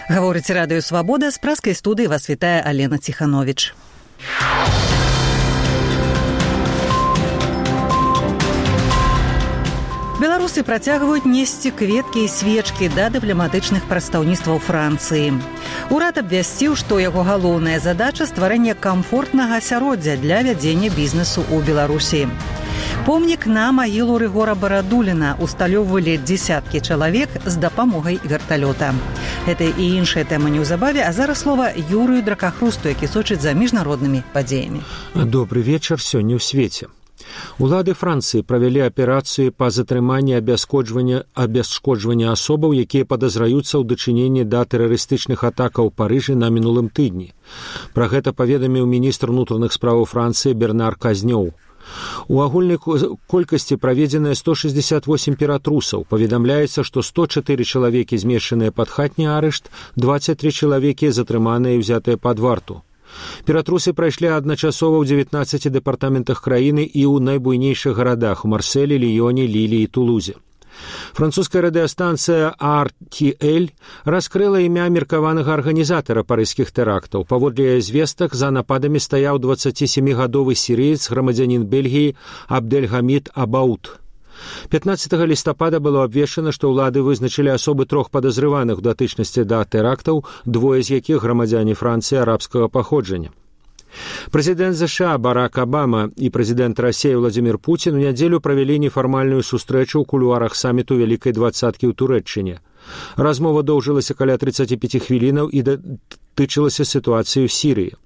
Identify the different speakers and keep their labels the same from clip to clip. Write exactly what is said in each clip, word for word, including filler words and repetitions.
Speaker 1: Гаворыць радыё «Свабода», з праскай студыі вас вітае Алена Ціхановіч. Беларусы працягваюць несці кветкі і свечкі да дыпламатычных прадстаўніцтваў Францыі. Урад абвясціў, што яго галоўная задача – стварэнне камфортнага асяроддзя для вядзення бізнесу ў Беларусі. Помнік на магілу Рыгора Барадуліна усталёўвалі дзесяткі чалавек з дапамогай верталёта. Гэта і іншая тэма неўзабаве, а зараз слова Юрыю Дракахрусту, які сочыць за міжнароднымі падзеямі.
Speaker 2: Добры вечар сёння ў свеце. Улады Францыі правялі аперацыю па затрыманні абяскоджвання абясшкоджвання асобаў, якія падазраюцца ў дачыненні да тэрарыстычных атакаў у Парыжы на мінулым тыдні. Пра гэта паведаміў міністр унутраных справаў Францыі Бернар Казнёў. У агульнай колькасці праведзеныя сто шэсцьдзесят восемь ператрусаў. Паведамляецца, што сто чатыры чалавекі змешчаныя пад хатні арышт, дваццаць тры чалавекі затрыманыя і ўзятыя пад варту. Ператрусы прайшлі адначасова ў дзевятнаццаці дэпартаментах краіны і ў найбуйнейшых гарадах у Марселі, Ліёне, Лілі і Тулузе. Французская радыёстанцыя ар ти эль раскрыла імя меркаванага арганізатара парыжскіх тэрактаў. Паводле звестак, за нападамі стаяў дваццацісямігадовы сірыец, грамадзянін Бельгіі Абдэльгамід Абаут. пятнаццатага лістапада было абвешчана, што ўлады вызначылі асобы трох падазрываных у датычнасці да тэрактаў, двое з якіх грамадзяне Францыі арабскага паходжання. Прэзідэнт ЗША Барак Абама і прэзідэнт Расіі Владзімір Пуцін у нядзелю правялі нефармальную сустрэчу ў кулуарах саміту Вялікай двадцаткі ў Турэччыне. Размова доўжылася каля трыццаць пяць хвілінаў і датычылася сітуацыі ў Сірыі.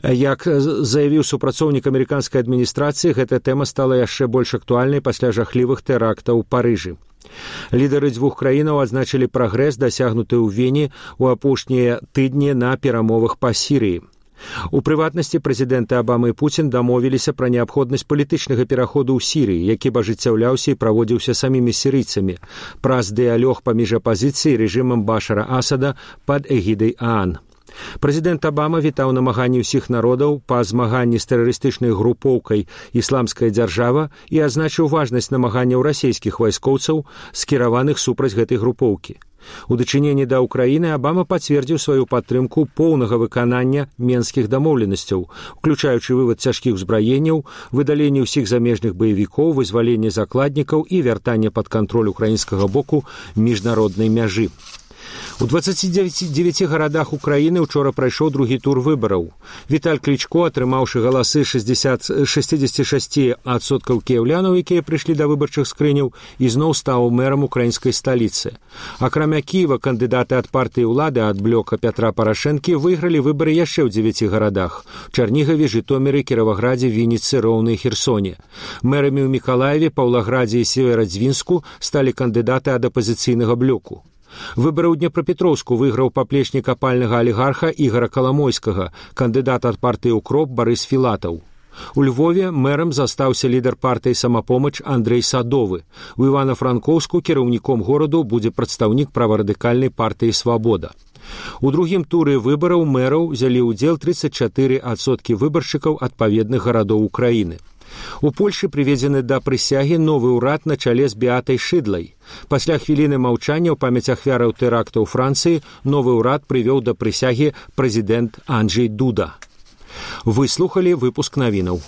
Speaker 2: Як заявіў супрацоўнік амерыканскай адміністрацыі, гэта тэма стала яшчэ больш актуальнай пасля жахлівых тэрактаў у Парыжы. Лідары дзвюх краінаў адзначылі прагрэс, дасягнуты ў Вене ў апошнія тыдні на перамовах па Сірыі. У прыватнасці прэзідэнты Абама і Пуцін дамовіліся пра неабходнасць палітычнага пераходу ў Сірыі, які б ажыццяўляўся і праводзіўся самімі сірыйцамі праз дыялог паміж апазіцыяй і рэжымам Башара Асада пад эгідай ААН. Прэзідэнт Абама вітаў намаганні ўсіх народаў па змаганні з тэрарыстычнай групоўкай «Ісламская дзяржава» і адзначыў важнасць намаганняў расійскіх вайскоўцаў, скіраваных супраць гэтай групоўкі. У дачыненні да Ўкраіны Абама пацвердзіў сваю падтрымку поўнага выканання менскіх дамоўленасцяў, уключаючы вывад цяжкіх узбраенняў, выдаленне ўсіх замежных баевікоў, вызваленне закладнікаў і вяртанне пад кантроль украінскага боку міжнароднай мяжы. У дваццаці дзевяці гарадах Украіны ўчора прайшоў другі тур выбараў. Віталь Клічко, атрымаўшы галасы шэсцьдзесят шэсць адсоткаў кіяўлянаў, якія прыйшлі да выбарчых скрыняў, ізноў стаў мэрам украінскай сталіцы. Акрамя Кіева, кандыдаты ад партыі ўлады ад блока Пятра Парашэнкі выйгралі выбары яшчэ ў дзевяці гарадах – Чарнігаве, Жытоміры, Кіраваградзе, Вінніцы, Роўны і Херсоне. Мэрамі ў Мікалаеве, Паўлаградзе і Северадзвінску сталі кандыдаты ад апазіцыйнага блоку. Выбары ў Днепрапетроўску выйграў паплечнік апальнага алігарха Ігара Каламойскага, кандыдат ад партыі «Укроп» Барыс Філатаў. У Львове мэрам застаўся лідар партыі «Самапомач» Андрэй Садовы. У Івана-Франкоўску кіраўніком гораду будзе прадстаўнік праварадыкальнай партыі «Свабода». У другім туры выбараў мэраў узялі ўдзел трыццаць чатыры адсоткі выбаршчыкаў адпаведных гарадоў Украіны. У Польшы прыведзены да прысягі новы ўрад на чале з Беатай Шыдлай. Пасля хвіліны маўчання ў памяць ахвяраў тэрактаў Францыі новы ўрад прывёў да прысягі прэзідэнт Анджэй Дуда. Вы слухалі выпуск навінаў.